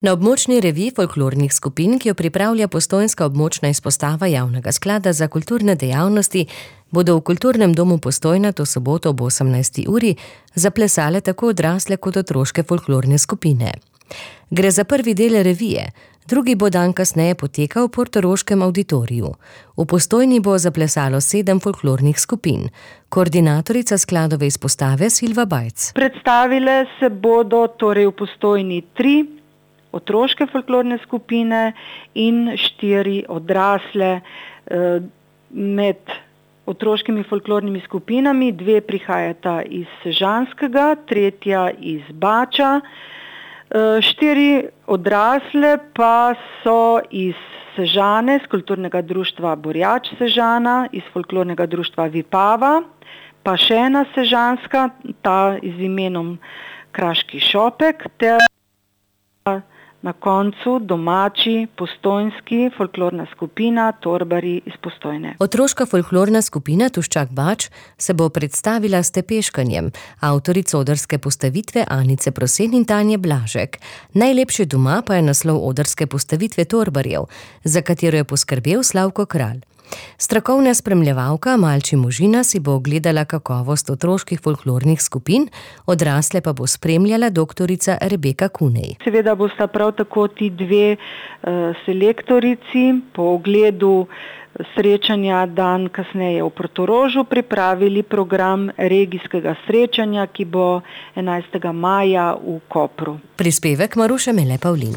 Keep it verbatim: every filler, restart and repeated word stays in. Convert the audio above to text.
Na območni reviji folklornih skupin, ki jo pripravlja Postojnska območna izpostava Javnega sklada za kulturne dejavnosti, bodo v Kulturnem domu Postojna to soboto ob osemnajsti uri zaplesale tako odrasle kot otroške folklorne skupine. Gre za prvi del revije, drugi bo dan kasneje potekal v portoroškem avditoriju. V Postojni bo zaplesalo sedem folklornih skupin. Koordinatorica skladove izpostave Silva Bajc. Predstavile se bodo torej v Postojni tri otroške folklorne skupine in štiri odrasle. Med otroškimi folklornimi skupinami dve prihajata iz Sežanskega, tretja iz Bača. Štiri odrasle pa so iz Sežane, iz kulturnega društva Borjač Sežana, iz folklornega društva Vipava, pa še ena sežanska, ta z imenom Kraški šopek, ter na koncu domači postojnski folklorna skupina Torbari iz Postojne. Otroška folklorna skupina Tuščak Bač se bo predstavila s tepeškanjem, avtorica odrske postavitve Anice Prosen in Tanje Blažek. Najlepše doma pa je naslov odrske postavitve Torbarjev, za katero je poskrbel Slavko Kralj. Strokovna spremljevalka Malči Možina si bo ogledala kakovost otroških folklornih skupin, odrasle pa bo spremljala doktorica Rebeka Kunej. Seveda bosta prav tako ti dve uh, selektorici po ogledu srečanja dan kasneje v Portorožu pripravili program regijskega srečanja, ki bo enajstega maja v Kopru. Prispevek Maruše Mele Pavlin.